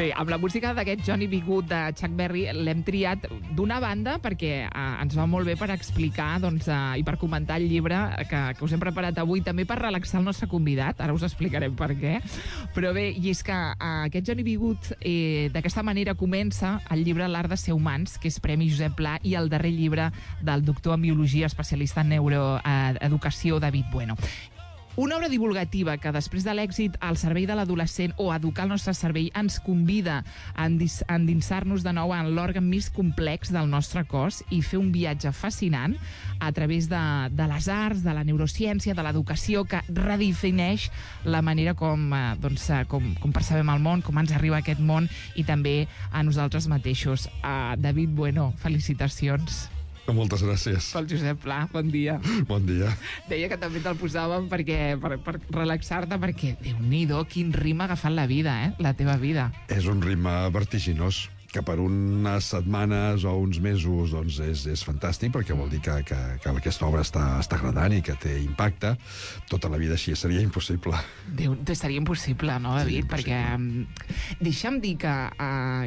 Bé, amb la música d'aquest Johnny B. Good de Chuck Berry l'hem triat d'una banda perquè ens va molt bé per explicar i per comentar el llibre que us hem preparat avui, també per relaxar el nostre convidat, ara us explicarem per què. Però bé, i és que aquest Johnny B. Good d'aquesta manera comença el llibre L'art de ser humans, que és Premi Josep Pla, i el darrer llibre del doctor en biologia, especialista en neuroeducació, David Bueno. Una obra divulgativa que després de l'èxit al servei de l'adolescent o educar el nostre cervell ens convida a endinsar-nos de nou en l'òrgan més complex del nostre cos i fer un viatge fascinant a través de les arts, de la neurociència, de l'educació, que redefineix la manera com percebem el món, com ens arriba aquest món i també a nosaltres mateixos. David Bueno, felicitacions. Moltes gràcies. Pel Josep Pla, bon dia. Bon dia. Deia que també te'l posàvem per relaxar-te, perquè, Déu-n'hi-do, quin ritme ha agafat la vida, la teva vida. És un ritme vertiginós, que per unes setmanes o uns mesos doncs és fantàstic, perquè vol dir que aquesta obra està agradant i que té impacte. Tota la vida així seria impossible. Seria impossible, no, David? Perquè deixa'm dir que,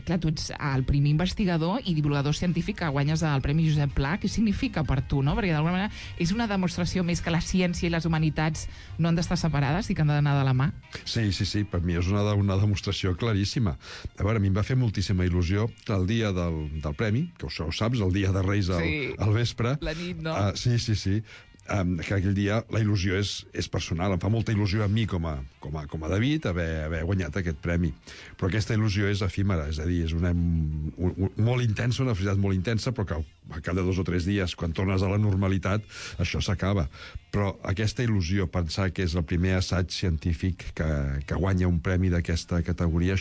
clar, tu ets el primer investigador i divulgador científic que guanyes el Premi Josep Pla. Què significa per tu, no? Perquè d'alguna manera és una demostració més que la ciència i les humanitats no han d'estar separades i que han d'anar de la mà. Sí, per mi és una demostració claríssima. A veure, a mi em va fer moltíssima il·lusió que el dia del premi, que ho saps, el dia de Reis al vespre. La nit, no? Sí. Que aquell dia la il·lusió és personal. Em fa molta il·lusió a mi com a David haver guanyat aquest premi. Però aquesta il·lusió és efímera, és a dir, és una molt intensa, una felicitat molt intensa, però que al cap de 2 o 3 dies, quan tornes a la normalitat, això s'acaba. Però aquesta il·lusió, pensar que és el primer assaig científic que guanya un premi d'aquesta categoria,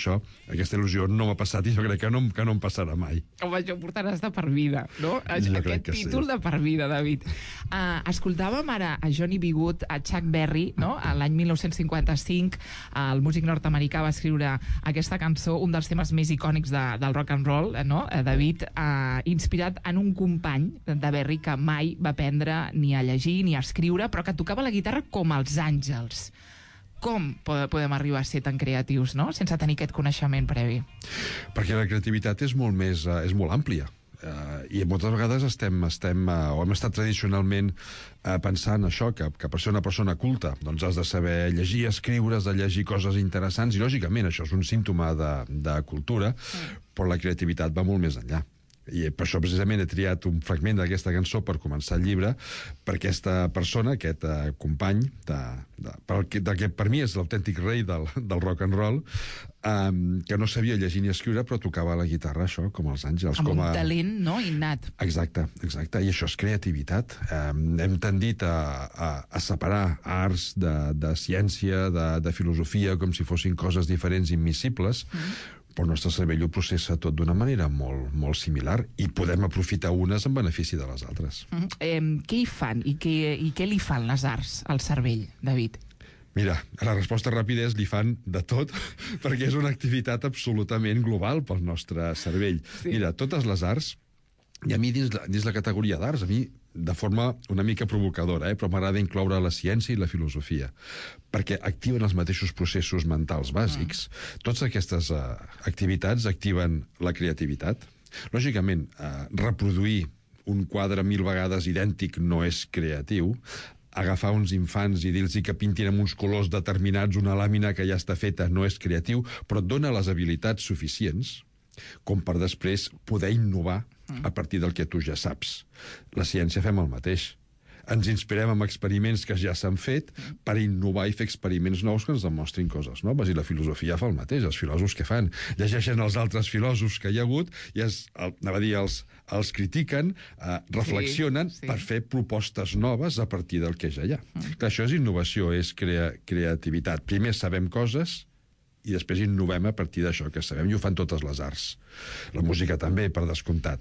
aquesta il·lusió no m'ha passat i jo crec que no em passarà mai. Home, això ho portaràs de per vida, no? Aquest títol de per vida, David. Escoltàvem ara a Johnny B. Good, a Chuck Berry, no? L'any 1955, el músic nord-americà va escriure aquesta cançó, un dels temes més icònics del rock and roll, no? David, inspirat en un company de Berry que mai va aprendre ni a llegir ni a escriure, però que tocava la guitarra com els àngels. Com podem arribar a ser tan creatius, no?, sense tenir aquest coneixement previ? Perquè la creativitat és molt àmplia. I moltes vegades hem estat tradicionalment pensant això, que per ser una persona culta doncs has de saber llegir, escriure, has de llegir coses interessants, i lògicament això és un símptoma de cultura, però la creativitat va molt més enllà. I per això precisament he triat un fragment d'aquesta cançó per començar el llibre, per aquesta persona, aquest company que per mi és l'autèntic rei del rock and roll, que no sabia llegir ni escriure, però tocava la guitarra, això, com els àngels. Amb un talent, no?, innat. Exacte, i això és creativitat. Hem tendit a separar arts de ciència, de filosofia, com si fossin coses diferents, immiscibles, però el nostre cervell ho processa tot d'una manera molt similar i podem aprofitar unes en benefici de les altres. Què hi fan i què li fan les arts al cervell, David? Mira, la resposta ràpida és li fan de tot, perquè és una activitat absolutament global pel nostre cervell. Mira, totes les arts, i a mi dins la categoria d'arts, a mi de forma una mica provocadora, però m'agrada incloure la ciència i la filosofia, perquè activen els mateixos processos mentals bàsics. Totes aquestes activitats activen la creativitat. Lògicament, reproduir un quadre 1000 vegades idèntic no és creatiu. Agafar uns infants i dir-los que pintin amb uns colors determinats una làmina que ja està feta no és creatiu, però et dona les habilitats suficients com per després poder innovar a partir del que tu ja saps. La ciència fem el mateix. Ens inspirem en experiments que ja s'han fet per innovar i fer experiments nous que ens demostrin coses noves, i la filosofia fa el mateix. Els filòsofs què fan? Llegeixen els altres filòsofs que hi ha hagut i els critiquen, reflexionen per fer propostes noves a partir del que ja hi ha. Clar, això és innovació, és creativitat. Primer sabem coses i després innovem a partir d'això que sabem, i ho fan totes les arts. La música també, per descomptat.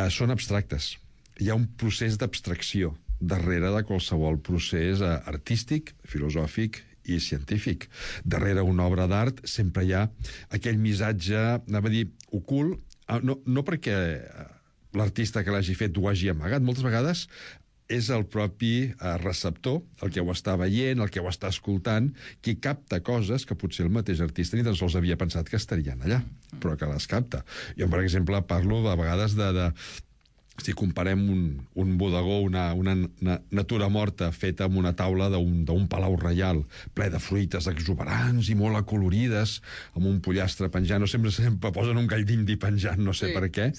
Són abstractes. Hi ha un procés d'abstracció darrere de qualsevol procés artístic, filosòfic i científic. Darrere una obra d'art sempre hi ha aquell missatge, anava a dir, ocult, no perquè l'artista que l'hagi fet ho hagi amagat. Moltes vegades és el propi receptor, el que ho està veient, el que ho està escoltant, qui capta coses que potser el mateix artista ni tan sols havia pensat que estarien allà, però que les capta. Jo, per exemple, parlo a vegades si comparem un bodegó, una natura morta feta amb una taula d'un palau reial, ple de fruites exuberants i molt acolorides, amb un pollastre penjant, o sempre posen un gall d'indi penjant, no sé per què,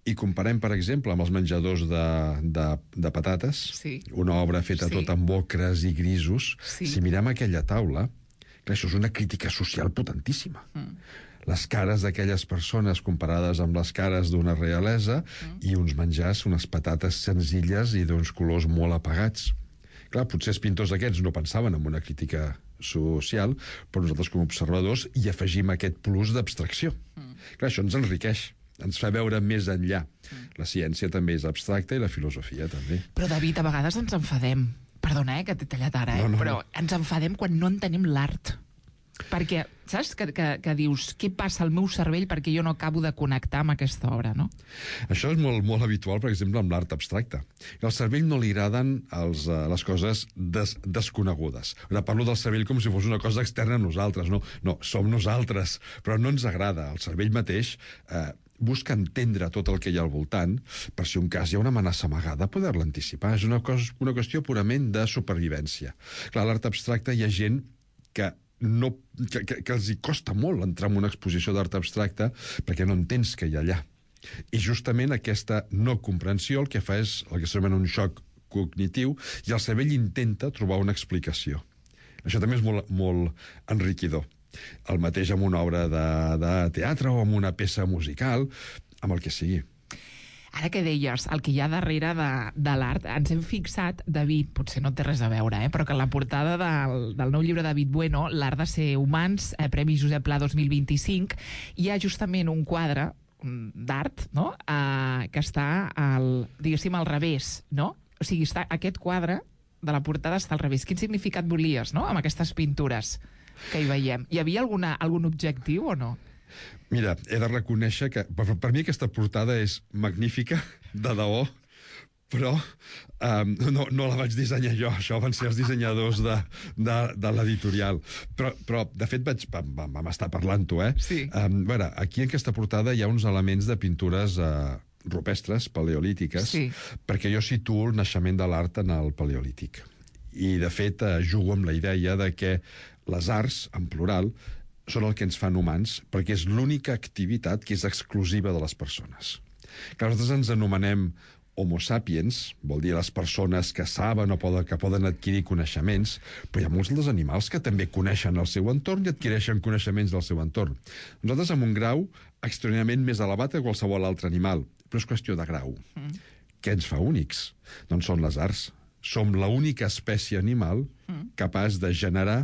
i comparem, per exemple, amb els menjadors de patates, una obra feta tot amb ocres i grisos. Si mirem aquella taula, clar, això és una crítica social potentíssima. Les cares d'aquelles persones comparades amb les cares d'una realesa i uns menjars, unes patates senzilles i d'uns colors molt apagats. Clar, potser els pintors aquests no pensaven en una crítica social, però nosaltres com a observadors hi afegim aquest plus d'abstracció. Clar, això ens enriqueix, ens fa veure més enllà. La ciència també és abstracta i la filosofia també. Però, David, a vegades ens enfadem. Perdona, que t'he tallat ara, però ens enfadem quan no entenem l'art. Perquè, saps, que dius què passa al meu cervell perquè jo no acabo de connectar amb aquesta obra, no? Això és molt, molt habitual, per exemple, amb l'art abstracte. Al cervell no li agraden les coses desconegudes. Ara parlo del cervell com si fos una cosa externa a nosaltres. No, som nosaltres, però no ens agrada. El cervell mateix busca entendre tot el que hi ha al voltant, per si un cas hi ha una amenaça amagada, poder-la anticipar. És una qüestió purament de supervivència. Clar, a l'art abstracte hi ha gent que els hi costa molt entrar en una exposició d'art abstracte perquè no entens què hi ha allà. I justament aquesta no comprensió el que fa és el que s'anomena un xoc cognitiu i el cervell intenta trobar una explicació. Això també és molt, molt enriquidor. El mateix amb una obra de teatre o amb una peça musical, amb el que sigui. Ara que deies, el que hi ha darrere de l'art, ens hem fixat, David, potser no té res a veure, però que en la portada del nou llibre de David Bueno, L'art de ser humans, Premi Josep Pla 2025, hi ha justament un quadre d'art, no?, que està, diguéssim, al revés, no? O sigui, aquest quadre de la portada està al revés. Quin significat volies, no?, amb aquestes pintures que hi veiem? Hi havia algun objectiu o no? Mira, he de reconèixer que per mi aquesta portada és magnífica, de debò, però no la vaig dissenyar jo, això van ser els dissenyadors de l'editorial. Però, de fet, vam estar parlant-ho, Sí. A veure, aquí en aquesta portada hi ha uns elements de pintures rupestres, paleolítiques, sí, perquè jo situo el naixement de l'art en el paleolític. I, de fet, jugo amb la idea de que les arts, en plural, són el que ens fan humans, perquè és l'única activitat que és exclusiva de les persones. Clar, nosaltres ens anomenem Homo sapiens, vol dir les persones que saben o que poden adquirir coneixements, però hi ha molts dels animals que també coneixen el seu entorn i adquireixen coneixements del seu entorn. Nosaltres amb un grau extraordinàriament més elevat que qualsevol altre animal, però és qüestió de grau. Què ens fa únics? Doncs són les arts. Som l'única espècie animal capaç de generar,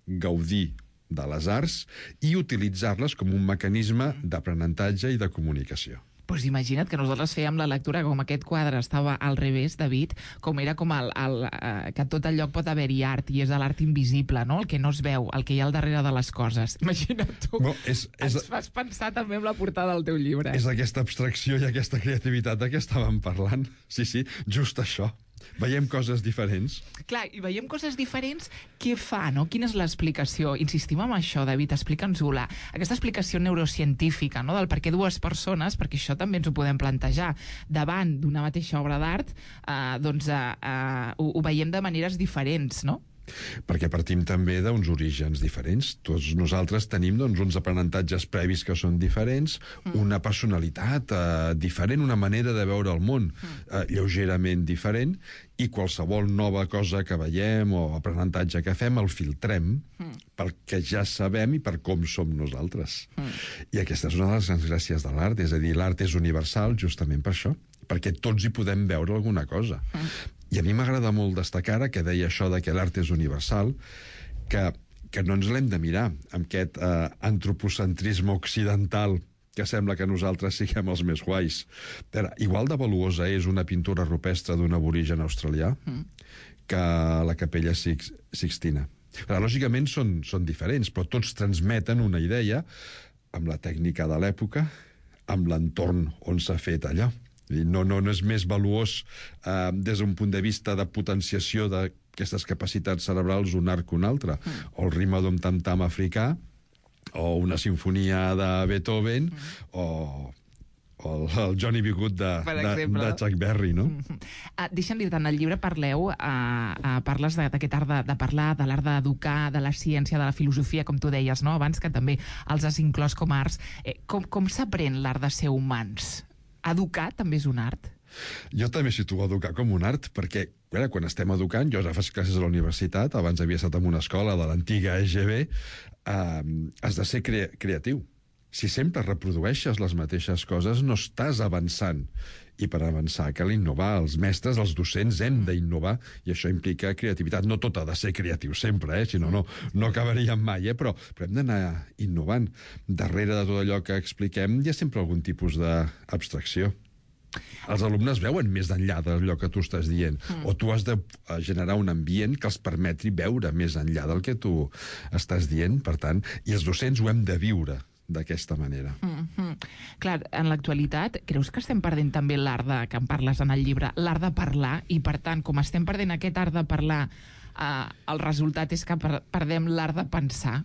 gaudir de les arts i utilitzar-les com un mecanisme d'aprenentatge i de comunicació. Pues imagina't que nosaltres fèiem la lectura com aquest quadre estava al revés, David, com era com que a tot el lloc pot haver-hi art, i és l'art invisible, no?, el que no es veu, el que hi ha al darrere de les coses. Imagina't tu. No, ens fas pensar també amb la portada del teu llibre. És aquesta abstracció i aquesta creativitat de què estàvem parlant. Sí, just això. Veiem coses diferents. Clar, i veiem coses diferents. Què fa, no? Quina és l'explicació? Insistim en això, David, explica'ns-ho. Aquesta explicació neurocientífica, no?, del per què dues persones, perquè això també ens ho podem plantejar, davant d'una mateixa obra d'art, ho veiem de maneres diferents, no? Perquè partim també d'uns orígens diferents. Tots nosaltres tenim uns aprenentatges previs que són diferents, una personalitat diferent, una manera de veure el món lleugerament diferent, i qualsevol nova cosa que veiem o aprenentatge que fem el filtrem perquè ja sabem i per com som nosaltres. I aquesta és una de les grans gràcies de l'art, és a dir, l'art és universal justament per això, perquè tots hi podem veure alguna cosa. I a mi m'agrada molt destacar, que deia això de que l'art és universal, que no ens l'hem de mirar amb aquest antropocentrisme occidental que sembla que nosaltres siguem els més guais. Igual de valuosa és una pintura rupestre d'un aborigen australià que la Capella Sixtina. Lògicament són diferents, però tots transmeten una idea amb la tècnica de l'època, amb l'entorn on s'ha fet allò. No és més valuós des d'un punt de vista de potenciació d'aquestes capacitats cerebrals un art que un altre. O el ritme d'un tam-tam africà, o una sinfonia de Beethoven, o el Johnny B. Good de Chuck Berry, no? Deixa'm dir-te, en el llibre parles d'aquest art de parlar, de l'art d'educar, de la ciència, de la filosofia, com tu deies, no? Abans, que també els has inclòs com a arts. Com s'aprèn l'art de ser humans? Educar també és un art? Jo també situo educar com un art, perquè quan estem educant, jo ja faig classes a la universitat, abans havia estat en una escola de l'antiga EGB, has de ser creatiu. Si sempre reprodueixes les mateixes coses, no estàs avançant. I per avançar cal innovar. Els mestres, els docents, hem d'innovar, i això implica creativitat. No tot ha de ser creatiu sempre, si no acabaríem mai, però hem d'anar innovant. Darrere de tot allò que expliquem hi ha sempre algun tipus d'abstracció. Els alumnes veuen més enllà d'allò que tu estàs dient, o tu has de generar un ambient que els permeti veure més enllà del que tu estàs dient, per tant, i els docents ho hem de viure d'aquesta manera. Clar, en l'actualitat, creus que estem perdent també l'art que en parles en el llibre, l'art de parlar, i per tant, com estem perdent aquest art de parlar, el resultat és que perdem l'art de pensar?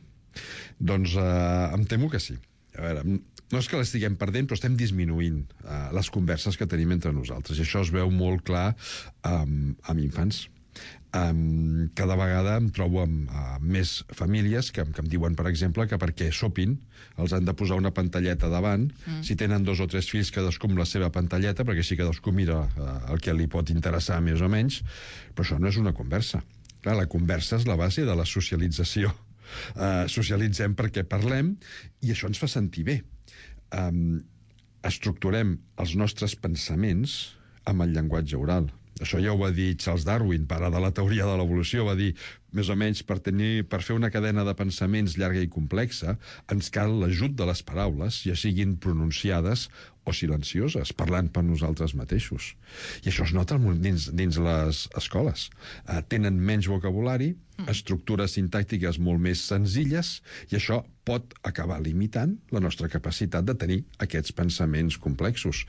Doncs em temo que sí. A veure, no és que l'estiguem perdent, però estem disminuint les converses que tenim entre nosaltres, i això es veu molt clar amb infants. Cada vegada em trobo amb més famílies que em diuen, per exemple, que perquè sopin els han de posar una pantalleta davant, si tenen 2 o 3 fills, cadascú amb la seva pantalleta, perquè així cadascú mira el que li pot interessar més o menys, però això no és una conversa. Clar, la conversa és la base de la socialització. Socialitzem perquè parlem, i això ens fa sentir bé. Estructurem els nostres pensaments amb el llenguatge oral. Això ja ho va dir Charles Darwin, pare de la teoria de l'evolució, va dir, més o menys, per fer una cadena de pensaments llarga i complexa, ens cal l'ajut de les paraules, ja siguin pronunciades o silencioses, parlant per nosaltres mateixos. I això es nota dins les escoles. Tenen menys vocabulari, estructures sintàctiques molt més senzilles, i això pot acabar limitant la nostra capacitat de tenir aquests pensaments complexos.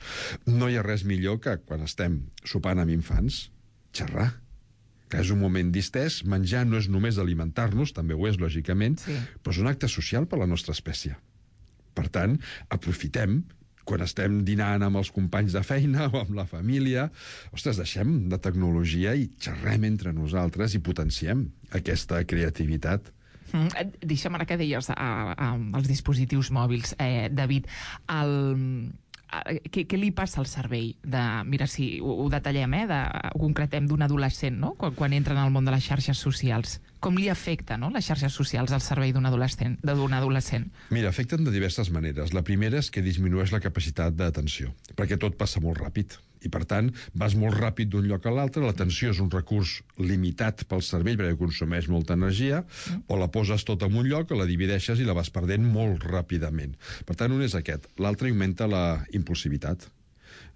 No hi ha res millor que, quan estem sopant amb infants, xerrar. Que és un moment distès. Menjar no és només alimentar-nos, també ho és, lògicament, però és un acte social per la nostra espècie. Per tant, aprofitem, quan estem dinant amb els companys de feina o amb la família, ostres, deixem de tecnologia i xerrem entre nosaltres i potenciem aquesta creativitat. Deixa'm, ara que deies els dispositius mòbils, David, què li passa al cervell? Mira, si ho detallem, ho concretem d'un adolescent, no? Quan entra en el món de les xarxes socials. Com li afecta, no?, les xarxes socials al cervell d'un adolescent? Mira, afecten de diverses maneres. La primera és que disminueix la capacitat d'atenció, perquè tot passa molt ràpid. I, per tant, vas molt ràpid d'un lloc a l'altre, l'atenció és un recurs limitat pel cervell perquè consumeix molta energia, o la poses tota en un lloc, o la divideixes i la vas perdent molt ràpidament. Per tant, un és aquest. L'altre augmenta la impulsivitat.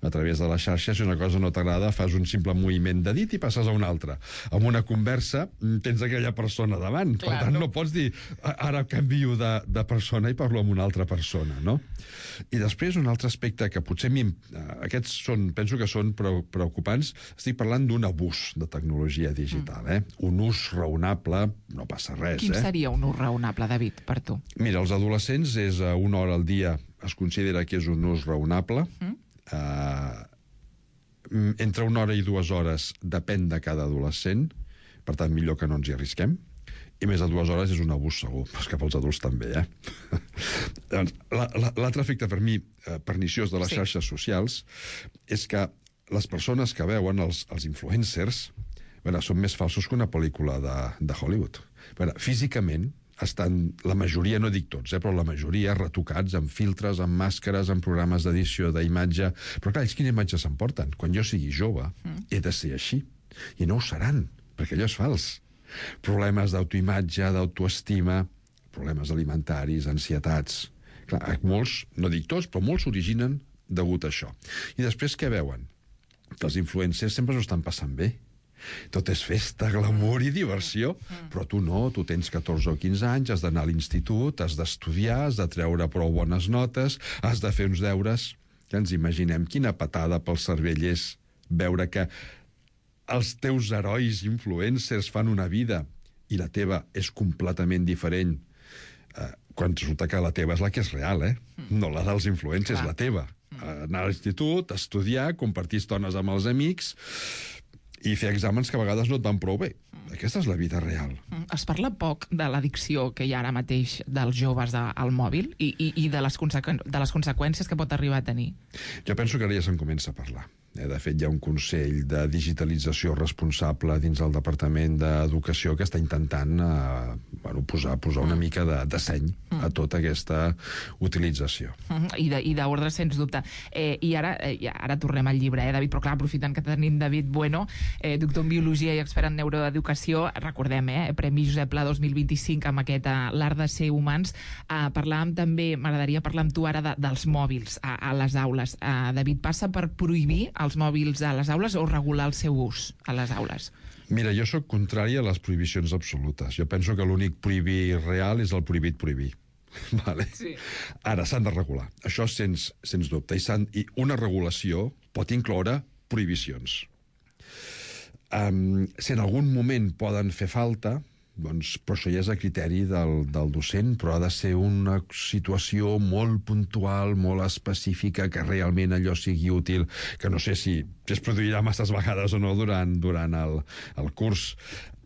A través de les xarxes, si una cosa no t'agrada, fas un simple moviment de dit i passes a una altra. En una conversa tens aquella persona davant. Per tant, no pots dir, ara canvio de persona i parlo amb una altra persona, no? I després, un altre aspecte que potser aquests penso que són preocupants. Estic parlant d'un abús de tecnologia digital, Un ús raonable, no passa res. Quin seria un ús raonable, David, per tu? Mira, els adolescents és 1 hora al dia, es considera que és un ús raonable. Entre 1 hora i 2 hores depèn de cada adolescent, per tant, millor que no ens hi arrisquem. I més de 2 hores és un abús segur, però és que pels adults també, L'altre efecte per mi perniciós de les xarxes socials és que les persones que veuen, els influencers, són més falsos que una pel·lícula de Hollywood. Físicament estan, la majoria, no dic tots, però la majoria retocats amb filtres, amb màscares, amb programes d'edició d'imatge. Però clar, ells quina imatge s'emporten? Quan jo sigui jove, he de ser així. I no ho seran, perquè allò és fals. Problemes d'autoimatge, d'autoestima, problemes alimentaris, ansietats. Clar, molts, no dic tots, però molts s'originen degut a això. I després què veuen? Que els influencers sempre s'ho estan passant bé. Tot és festa, glamour i diversió, però tu no, tu tens 14 o 15 anys, has d'anar a l'institut, has d'estudiar, has de treure prou bones notes, has de fer uns deures, ja ens imaginem quina patada pel cervell és veure que els teus herois influencers fan una vida i la teva és completament diferent, quan resulta que la teva és la que és real, no la dels influencers, la teva. Anar a l'institut, estudiar, compartir estones amb els amics i fer exàmens que a vegades no et van prou bé. Aquesta és la vida real. Es parla poc de l'addicció que hi ha ara mateix dels joves al mòbil i de les conseqüències que pot arribar a tenir. Jo penso que ara ja se'n comença a parlar. De fet, hi ha un Consell de Digitalització responsable dins del Departament d'Educació que està intentant posar una mica de seny a tota aquesta utilització. I d'ordre, sens dubte. I ara tornem al llibre, David, però clar, aprofitant que tenim David Bueno, doctor en Biologia i expert en Neuroeducació, recordem, Premi Josep Pla 2025 amb aquest L'art de ser humans. Parlàvem també, m'agradaria parlar amb tu ara dels mòbils a les aules. David, passa per prohibir els mòbils a les aules o regular el seu ús a les aules? Mira, jo sóc contrari a les prohibicions absolutes. Jo penso que l'únic prohibir real és el prohibit prohibir. Vale? Sí. Ara, s'han de regular. Això sens dubte. I una regulació pot incloure prohibicions. Si en algun moment poden fer falta, doncs, però això ja és a criteri del docent, però ha de ser una situació molt puntual, molt específica, que realment allò sigui útil, que no sé si es produirà masses vegades o no durant el curs,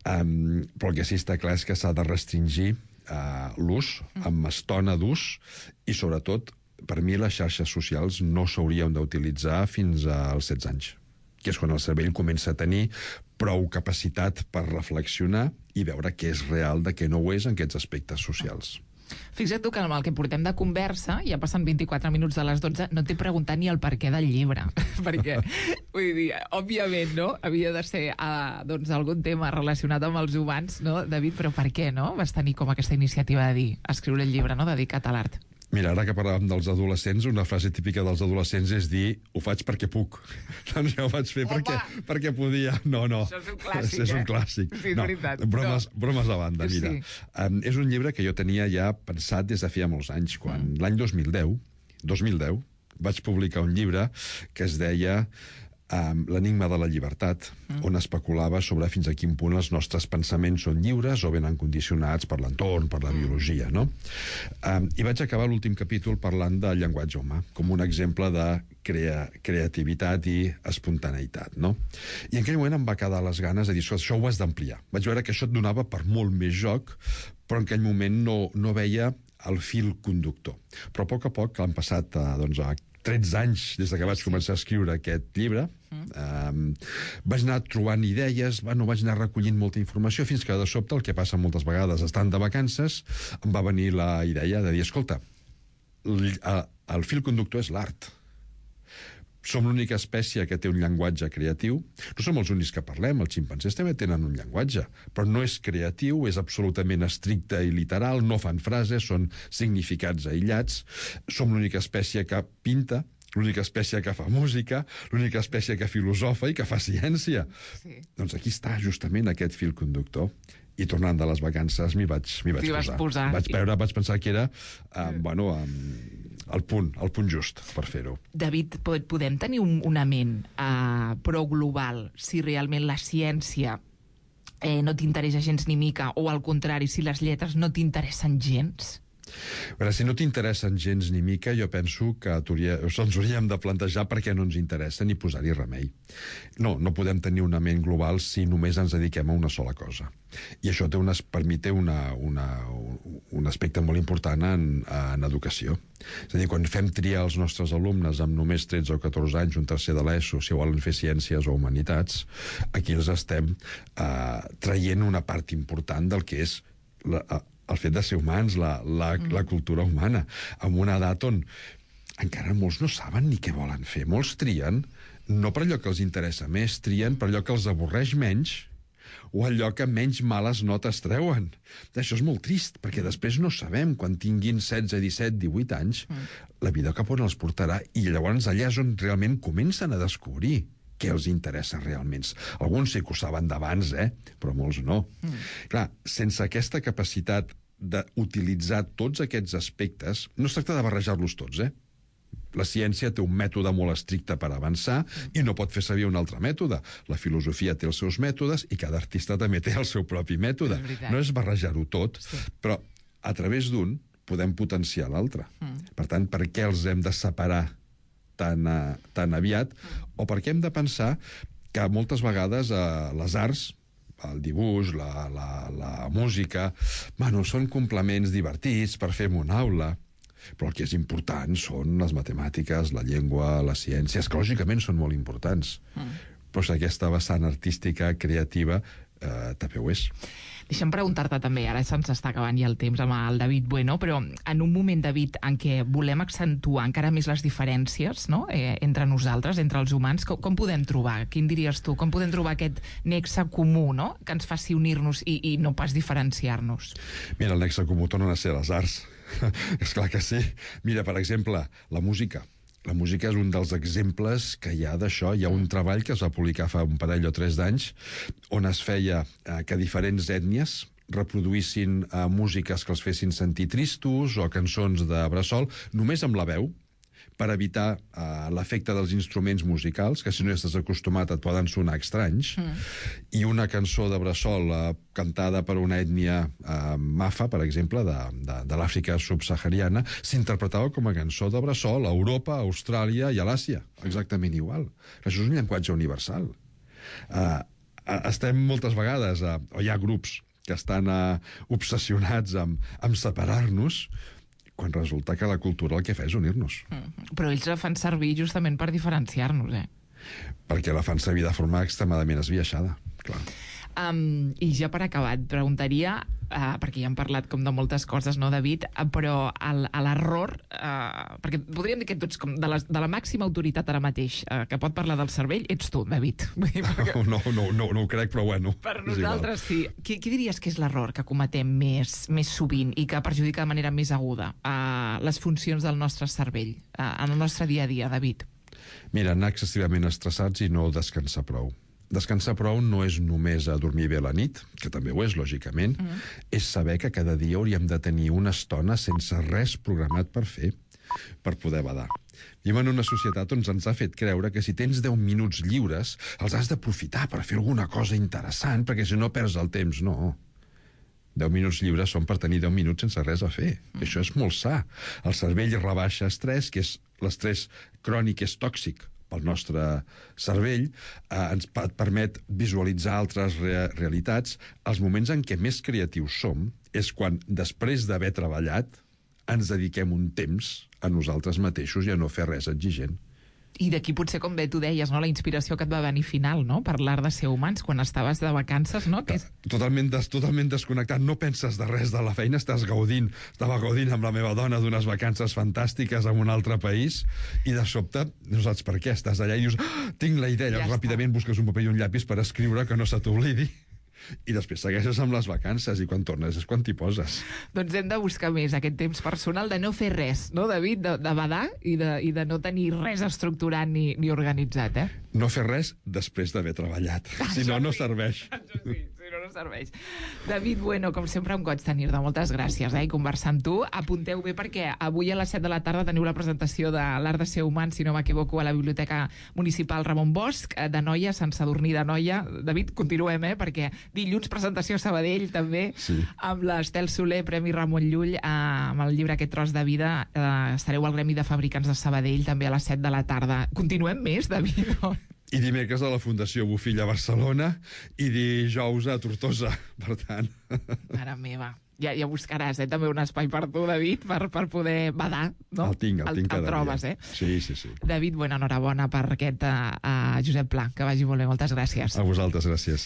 però el que sí està clar és que s'ha de restringir l'ús, amb estona d'ús, i sobretot, per mi les xarxes socials no s'haurien d'utilitzar fins als 16 anys, que és quan el cervell comença a tenir prou capacitat per reflexionar i veure què és real de què no ho és en aquests aspectes socials. Fixa't tu que amb el que portem de conversa, ja passen 24 minuts de les 12, no t'he preguntat ni el perquè del llibre, perquè, vull dir, òbviament, no?, havia de ser algun tema relacionat amb els humans, no, David, però per què, no?, vas tenir com aquesta iniciativa de dir, escriure el llibre, no?, dedicat a l'art. Mira, ara que parlàvem dels adolescents, una frase típica dels adolescents és dir ho faig perquè puc. Doncs jo ho vaig fer perquè podia. No. Això és un clàssic, és un clàssic. Sí, és veritat. Bromes a banda, mira. Sí. És un llibre que jo tenia ja pensat des de feia molts anys. Quan l'any 2010, vaig publicar un llibre que es deia L'enigma de la llibertat, on especulava sobre fins a quin punt els nostres pensaments són lliures o venen condicionats per l'entorn, per la biologia, no? I vaig acabar l'últim capítol parlant del llenguatge humà, com un exemple de creativitat i espontaneïtat, no? I en aquell moment em va quedar les ganes de dir, això ho has d'ampliar. Vaig veure que això et donava per molt més joc, però en aquell moment no veia el fil conductor. Però a poc, han passat 13 anys des que vaig començar a escriure aquest llibre, vaig anar trobant idees, vaig anar recollint molta informació, fins que de sobte, el que passa moltes vegades, estant de vacances, em va venir la idea de dir, escolta, el fil conductor és l'art. Som l'única espècie que té un llenguatge creatiu. No som els únics que parlem, els ximpanzés també tenen un llenguatge, però no és creatiu, és absolutament estricte i literal, no fan frases, són significats aïllats. Som l'única espècie que pinta, l'única espècie que fa música, l'única espècie que filosofa i que fa ciència. Sí. Doncs aquí està justament aquest fil conductor. I tornant de les vacances m'hi vaig posar. Vaig pensar que era el punt just per fer-ho. David, podem tenir una ment prou global si realment la ciència no t'interessa gens ni mica, o al contrari, si les lletres no t'interessen gens? Però si no t'interessen gens ni mica, jo penso que ens hauríem de plantejar per què no ens interessen i posar-hi remei. No podem tenir una ment global si només ens dediquem a una sola cosa. I això per mi té un aspecte molt important en educació. És a dir, quan fem triar els nostres alumnes amb només 13 o 14 anys, un tercer de l'ESO, si volen fer ciències o humanitats, aquí els estem traient una part important del que és el fet de ser humans, la cultura humana, amb una edat on encara molts no saben ni què volen fer. Molts trien, no per allò que els interessa més, trien per allò que els avorreix menys o allò que menys males notes treuen. Això és molt trist, perquè després no sabem, quan tinguin 16, 17, 18 anys, la vida cap on els portarà, i llavors allà és on realment comencen a descobrir què els interessa realment. Alguns sí que ho saben d'abans, però molts no. Clar, sense aquesta capacitat d'utilitzar tots aquests aspectes, no es tracta de barrejar-los tots, La ciència té un mètode molt estricte per avançar i no pot fer servir un altre mètode. La filosofia té els seus mètodes i cada artista també té el seu propi mètode. No és barrejar-ho tot, però a través d'un podem potenciar l'altre. Per tant, per què els hem de separar tan aviat? O per què hem de pensar que moltes vegades les arts, el dibuix, la música, són complements divertits per fer una aula, però el que és important són les matemàtiques, la llengua, les ciències, que lògicament són molt importants. Però si aquesta vessant artística, creativa, també ho és. Deixa'm preguntar-te també, ara se'ns està acabant ja el temps amb el David Bueno, però en un moment, David, en què volem accentuar encara més les diferències, no?, entre nosaltres, entre els humans, com podem trobar? Quin diries tu? Com podem trobar aquest nexe comú, no?, que ens faci unir-nos i no pas diferenciar-nos? Mira, el nexe comú tornen a ser les arts. És clar que sí. Mira, per exemple, la música. La música és un dels exemples que hi ha d'això. Hi ha un treball que es va publicar fa un parell o 3 d'anys on es feia que diferents ètnies reproduïssin músiques que els fessin sentir tristos o cançons de bressol només amb la veu, per evitar l'efecte dels instruments musicals, que si no estàs acostumat et poden sonar estranys, i una cançó de bressol cantada per una ètnia mafa, per exemple, de l'Àfrica subsahariana, s'interpretava com a cançó de bressol a Europa, a Austràlia i a l'Àsia. Exactament igual. Això és un llenguatge universal. Estem moltes vegades, o hi ha grups que estan obsessionats amb separar-nos, quan resulta que la cultura el que fa és unir-nos. Però ells la fan servir justament per diferenciar-nos, Perquè la fan servir de forma extremadament esbiaixada, clar. I ja per acabar, et preguntaria, perquè ja hem parlat com de moltes coses, no, David, però l'error, perquè podríem dir que tu ets com de la màxima autoritat ara mateix que pot parlar del cervell, ets tu, David. No ho crec, però bueno. Per nosaltres sí. Qui diries que és l'error que cometem més sovint i que perjudica de manera més aguda les funcions del nostre cervell en el nostre dia a dia, David? Mira, anar excessivament estressats i no descansar prou. Descansar prou no és només dormir bé a la nit, que també ho és, lògicament, és saber que cada dia hauríem de tenir una estona sense res programat per fer, per poder badar. Vivim en una societat on ens ha fet creure que si tens 10 minuts lliures, els has d'aprofitar per fer alguna cosa interessant, perquè si no perds el temps. No. 10 minuts lliures són per tenir 10 minuts sense res a fer. Això és molt sa. El cervell rebaixa estrès, que és l'estrès crònic, és tòxic pel nostre cervell, ens permet visualitzar altres realitats. Els moments en què més creatius som és quan, després d'haver treballat, ens dediquem un temps a nosaltres mateixos i a no fer res exigent. I d'aquí potser, com bé tu deies, no, la inspiració que et va venir final, no?, per l'art de ser humans, quan estaves de vacances, no? Totalment desconnectat, no penses de res de la feina, estava gaudint amb la meva dona d'unes vacances fantàstiques en un altre país, i de sobte no saps per què, estàs allà i dius, tinc la idea, llavors ràpidament busques un paper i un llapis per escriure que no se t'oblidi. I després segueixes amb les vacances i quan tornes és quan t'hi poses. Doncs hem de buscar més aquest temps personal de no fer res, no, David? De badar i de no tenir res estructurat ni organitzat, No fer res després d'haver treballat. Si no, no serveix. Això sí, si no, no serveix. David Bueno, com sempre, un goig tenir-te. Moltes gràcies, i conversar amb tu. Apunteu bé perquè avui a les 7 de la tarda teniu la presentació de l'art de ser humà, si no m'equivoco, a la Biblioteca Municipal Ramon Bosch, de Noia, Sant Sadurní de Noia. David, continuem, perquè dilluns presentació a Sabadell, també, sí, amb l'Estel Soler, Premi Ramon Llull, amb el llibre Aquest tros de vida. Estareu al Gremi de Fabricants de Sabadell, també a les 7 de la tarda. Continuem més, David? I dimecres a la Fundació Bofill a Barcelona i dijous a Tortosa, per tant. Mare meva. Ja buscaràs, també un espai per tu, David, per poder badar, no? El tinc cada trobes, dia. Sí. David, enhorabona per aquest Josep Pla, que vagi molt bé, moltes gràcies. A vosaltres, gràcies.